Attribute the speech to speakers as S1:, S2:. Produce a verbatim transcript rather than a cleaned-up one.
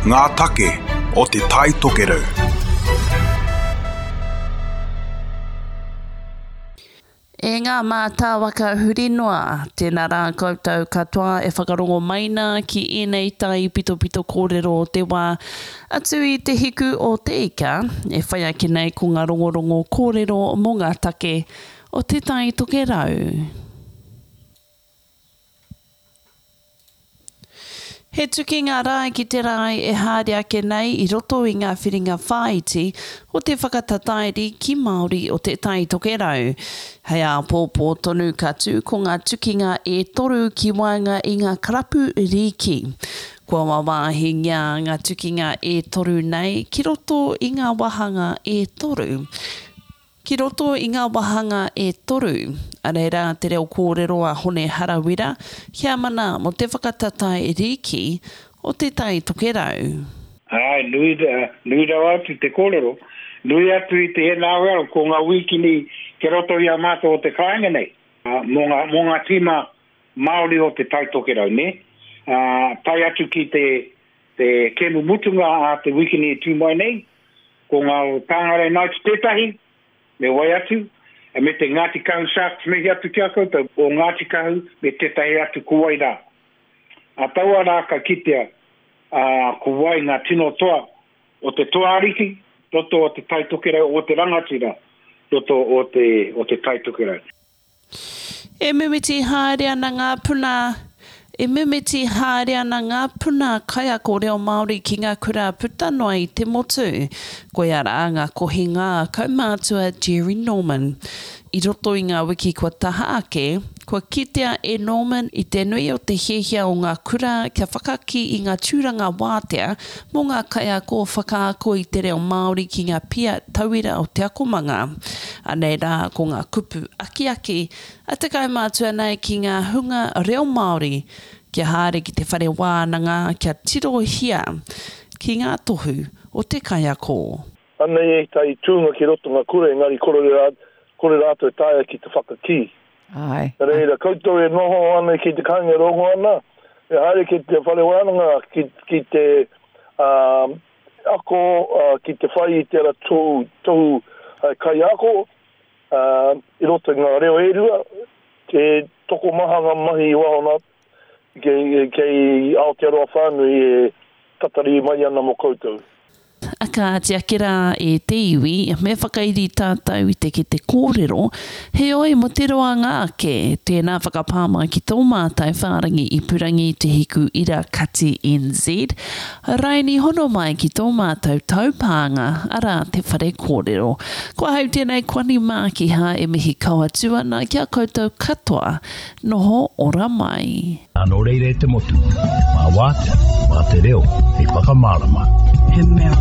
S1: Ngā take o Te Tai Tokerau.
S2: E ngā mātāwaka huri noa, tēnā rā koutou katoa e whakarongo mai nā ki ēnei taipitopito kōrero o te wā atu i te hiku o te ika, e whai ake nei ko ngā rongorongo kōrero mō ngā take o Te Tai Tokerau. He tukinga rae ki te rae e haere ake nei i roto i ngā whiringa whāiti o te whakatatairi ki Māori o Te Tai Tokerau. Hei āpōpō tonu ka tū ko ngā tukinga e toru ki waenga i ngā karapu rīki. Kua wāwāhingia ngā tukinga e toru nei ki roto i ngā wāhanga e toru. Ki roto i ngā wāhanga e toru, anei rā te reo kōrero a Hone Harawira, heamana mō te whakatatae rīki o Te Tai Tokerau.
S3: Āe, nui, nui rawa atu te kōrero. Nui atu i te NRL, ko ngā wīkini ki roto i a mātou o te kāinga nei, mō ngā, mō ngā tīma Māori o Te Tai Tokerau, nē? Ā, tae atu ki te, te kēmu mutunga a te wīkini e tū mai nei, ko ngā Tāngarei Knights tētahi, Me wai atu, me te Ngāti Kahu Sharks mihi atu ki a koutou, o Ngāti Kahu me tētahi atu ko wai rā. A taua rā ka kitea, ā, ko wai ngā tino toa o te toa ariki, roto o Te Tai Tokerau, o te rangatira, roto o te, o Te Tai Tokerau.
S2: E mimiti haere ana ngā puna E mimiti haere ana ngā puna kaiako reo Māori ki ngā kura puta noa i te motu. Koia rā ngā kohinga a kaumātua Jerry Norman. I roto i ngā wiki kua taha ake, kua kitea e Norman i te nui o te hiahia o ngā kura kia whakakī i ngā tūranga wātea mō ngā kaiako whakaako i te reo Māori ki ngā pia tauira o te akomanga. Anei rā ko ngā kupu akiaki a te kaumātua nei ki ngā hunga reo Māori kia haere ki te whare wānanga kia tirohia ki ngā tohu o te kaiako.
S4: Anei ētahi tūnga ki roto ngā kura engari kore rātou e taea ki te whakakī.
S5: Āe.
S4: Nā reira, koutou e noho ana ki te kāinga e rongo ana, e haere ki te whare wānanga ki, ki te um, ako, uh, ki te whai i tērā tohu, tohu uh, kaiako, ā, i roto i ngā reo e rua, he tokomaha ngā mahi i waho nā, kei, kei Aotearoa whānui e tatari mai ana mō koutou.
S2: A kāti ake rā e te iwi, me whakairi tātou i te kete kōrero, heoi mō te roanga ake, tēnā whakapā mai ki tō mātou whārangi ipurangi Te Hiku Ira Kati NZ, raini hono mai ki tō mātou taupānga, arā Te Whare Kōrero. Ko ahau tēnei Kwani Mākiha e mihi kau atu ana ki a koutou katoa. Noho ora mai.
S6: Nō reira e te motu, mā Wātea, mā te reo hei whakamārama.
S7: He mea